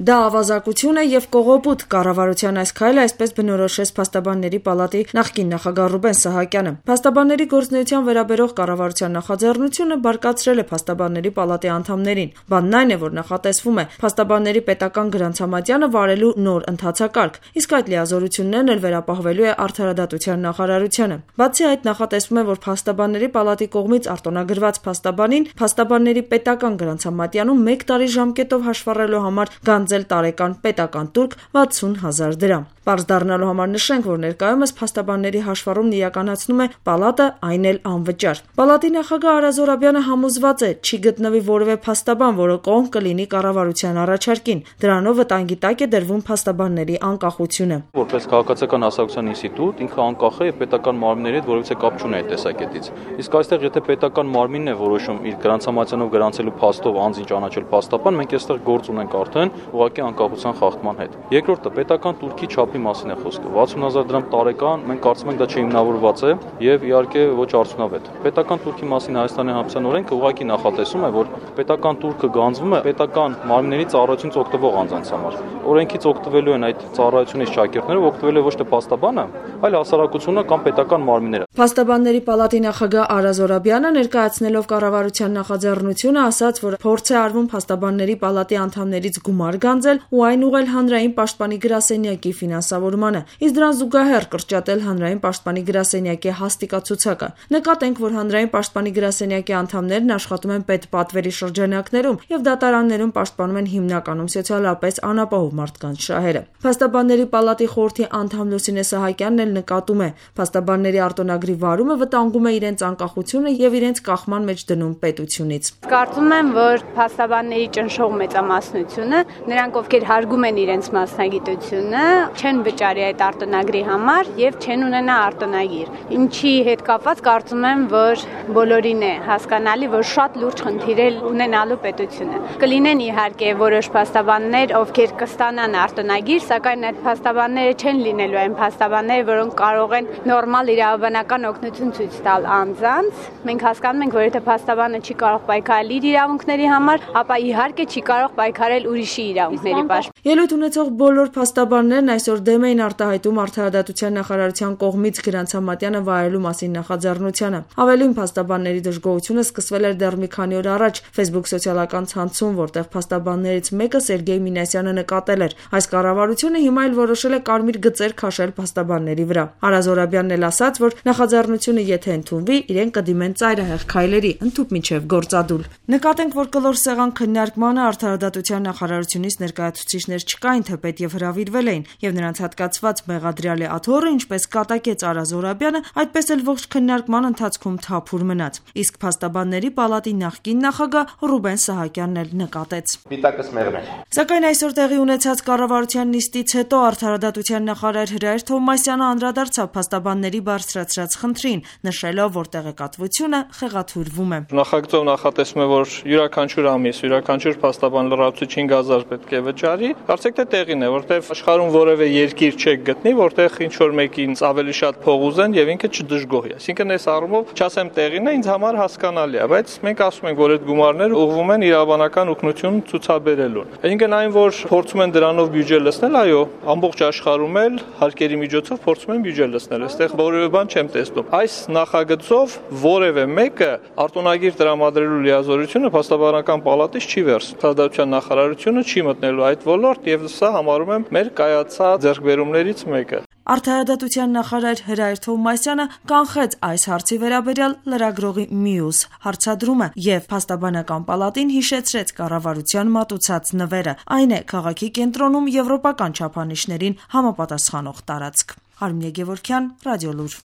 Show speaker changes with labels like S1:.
S1: Դա ավազակություն է և կողոպուտ, կառավարության այս քայլը այսպես բնորոշեց Փաստաբանների պալատի նախկին նախագահ Ռուբեն Սահակյանը։ Փաստաբանների գործունեության վերաբերող կառավարության նախաձեռնությունը բարկացրել է Փաստաբանների պալատի անդամներին։ Բանն այն է, որ նախատեսվում է Փաստաբանների պետական գրանցամատյանը վարելու նոր ընթացակարգ, իսկ այդ լիազորություններն էլ վերապահվելու է Արդարադատության նախարարությանը։ Բացի այդ, նախատեսվում է, որ Փաստաբանների պալատի կողմից արտոնագրված փաստաբանին Փաստաբանների պետական գրանցամատյանում 1 տարի ժամկետով հաշվառելու համար գանձել տարեկան պետական տուրք 60,000 դրամ։ Պարզ դառնալու համար նշենք, որ ներկայումս փաստաբանների հաշվառումն իրականացնում է պալատը, այն էլ անվճար։ Պալատի նախագահ Արա Զորաբյանը համոզված է, չի գտնվի որևէ փաստաբան, որը կողմ կլինի կառավարության առաջարկին։ Դրանով վտանգի տակ է դրվում փաստաբանների անկախությունը։
S2: Որպես քաղաքացիական հասարակության ինստիտուտ, ինքը անկախ է եւ պետական մարմինների հետ որևէ կապ չունի այդ տեսակետից։ Իսկ այստեղ եթե պետական մարմինն է որոշում իր գրանցամատյանով գրանցելու փաստով անձին ճանաչել փաստաբան, մենք այստեղ գործ ունենք արդեն ուղղակի անկախության խախտման հետ։ Երկրորդը պետական տուրքի չափի մասին է խոսքը։ 60,000 դրամ տարեկան, մենք կարծում ենք դա չհիմնավորված է եւ իհարկե ոչ արդյունավետ։ Պետական տուրքի մասին Հայաստանի Հանրապետության օրենքը ուղղակի նախատեսում է, որ պետական տուրքը գանձվում է պետական մարմինների ծառայությունից օգտվող անձանց համար։ Օրենքից օգտվելու են այդ ծառայությունից շակերտները, օգտվելու է ոչ թե փաստաբանը, այլ հասարակությունը կամ պետական մարմինները։
S1: Փաստաբանների պալատի նախագահ Արա Զորաբյանը ներկայացնելով կառավարության նախաձեռնությունը ասաց, որ փորձ է արվում Փաստաբանների պալատի անդամներից գումար գանձել ու այն ուղղել Հանրային պաշտպանի գրասենյակի ֆինանսավորմանը, իսկ դրան զուգահեռ կրճատել Հանրային պաշտպանի գրասենյակի հաստիկացուցակը։ Նկատենք, որ Հանրային պաշտպանի գրասենյակի անդամներն աշխատում են պետպատվերի շրջանակներում եւ դատարաններում պաշտպանում են հիմնականում սոցիալապես անապահով մարդկանց շահերը։ Փաստաբանների պալատի խորհրդի անդամ Լուսինե Սահակյանն էլ նկատում է, փաստաբանների արտոնագրի վարումը վտանգում է իրենց անկախությունը եւ իրենց կախման մեջ դնում պետությունից։
S3: Կարծում եմ, որ փաստաբանների ճնշող մեծամասնությունը, նրանք ովքեր հարգում են իրենց մասնագիտությունը, չեն վճարի այդ արտոնագրի համար եւ չեն ունենա արտոնագիր։ Ինչի հետ կապված կարծում եմ, որ բոլորին է հասկանալի, որ շատ լուրջ խնդիր է ունենալու պետությունը։ Կլինեն իհարկե որոշ փաստաբաններ, ովքեր կստանան արտոնագիր, սակայն այդ փաստաբանները չեն լինելու այն փաստաբանները, որոնք կարող են նորմալ իրավաբանական օգնություն ցույց տալ անձանց։ Մենք հասկանում ենք, որ եթե փաստաբանը չի կարող պայքարել իր իրավունքների համար, ապա իհարկե չի կարող պայքարել ուրիշի իրավունքների պաշտպանության։
S1: Ելույթ ունեցող բոլոր փաստաբաններն այսօր դեմ էին արտահայտում Արդարադատության նախարարության կողմից գրանցամատյանը վայելելու մասին նախաձեռնությանը։ Ավելին, փաստաբանների դժգոհությունը սկսվել էր դեռ մի քանի օր առաջ Facebook սոցիալական ցանցում, որտեղ փաստաբաններից մեկը Սերգեյ Մինասյանը նկատել էր. այս կառավարությունը հիմա էլ որոշել է կարմիր գծեր քաշել փաստաբանների վրա։ Արա Զորաբյանն էլ ասաց, որ նախաձեռնությունը եթե ընդունվի, իրեն կդիմեն ծայրահեղ քայլերի, ընդհուպ մինչև գործադուլ։ Նկատենք, որ կլոր սեղան քննարկմանը Արդարադատության նախարարությունից ներկայացուցիչներ չկային, թեպետ եւ հրավիրվել էին, եւ նրանց հատկացված մեղադրյալի աթոռը, ինչպես կատակեց Արա Զորաբյանը, այդպես էլ ողջ քննարկման ընթացքում թափուր մնաց։ Իսկ Փաստաբանների պալատի նախկին նախագահ Ռուբեն Սահակյանն էլ նկատեց.
S4: Պիտակս մեղմեր։
S1: Սակայն այսօր տեղի ունեցած կառավարության նիստից հետո Արդարադատության նախարար Հրայր Թովմասյանը անդրադարձավ փաստաբանների բարձրացրած խնդրին, նշելով, որ տեղեկատվությունը խեղաթյուրվում է։
S5: Նախագծով նախատեսվում է, որ յուրաքանչյուր ամիս յուրաքանչյուր փաստաբան լրացուցիչ 5,000 պետք է վճարի։ Կարծեք թե տեղին է, որտեղ աշխարհում որևէ երկիր չեք գտնի, որտեղ ինչ որ մեկին ավելի շատ փող ուզեն եւ ինքը չդժգոհի։ Այսինքն այս առումով չասեմ տեղին է, ինձ համար հասկանալի է, բայց մենք ասում ենք, որ այդ գումարները ուղղվում են իրավաբանական օգնություն ցուցաբերելուն։ Այսինքն այն, որ փորձում են դրանով բյուջե լցնել, այո, ամբողջ աշխարհում էլ հարկերի միջոցով փորձում են բյուջե լցնել։ Այստեղ որևէ բան չեմ տեսնում։ Այս նախագծով որևէ մեկը արտոնագիր տրամադրելու լիազորությունը փաստաբանական պալատից չի վերցնում։ Արդարադատության նախարարությունը չի մտնելու այդ ոլորտ եւ սա համարում եմ մեր կայացած ձեռքբերումներից մեկը։
S1: Արդարադատության նախարար Հրայր Թովմասյանը կանխեց այս հարցի վերաբերյալ լրագրողի մյուս հարցադրումը եւ Փաստաբանական պալատին հիշեցրեց կառավարության մատուցած նվերը։ Այն է քաղաքի կենտրոնում եվրոպական չափանիշներին համապատասխանող տարածք։ Արմինե Գևորգյան, Ռադիոլուր։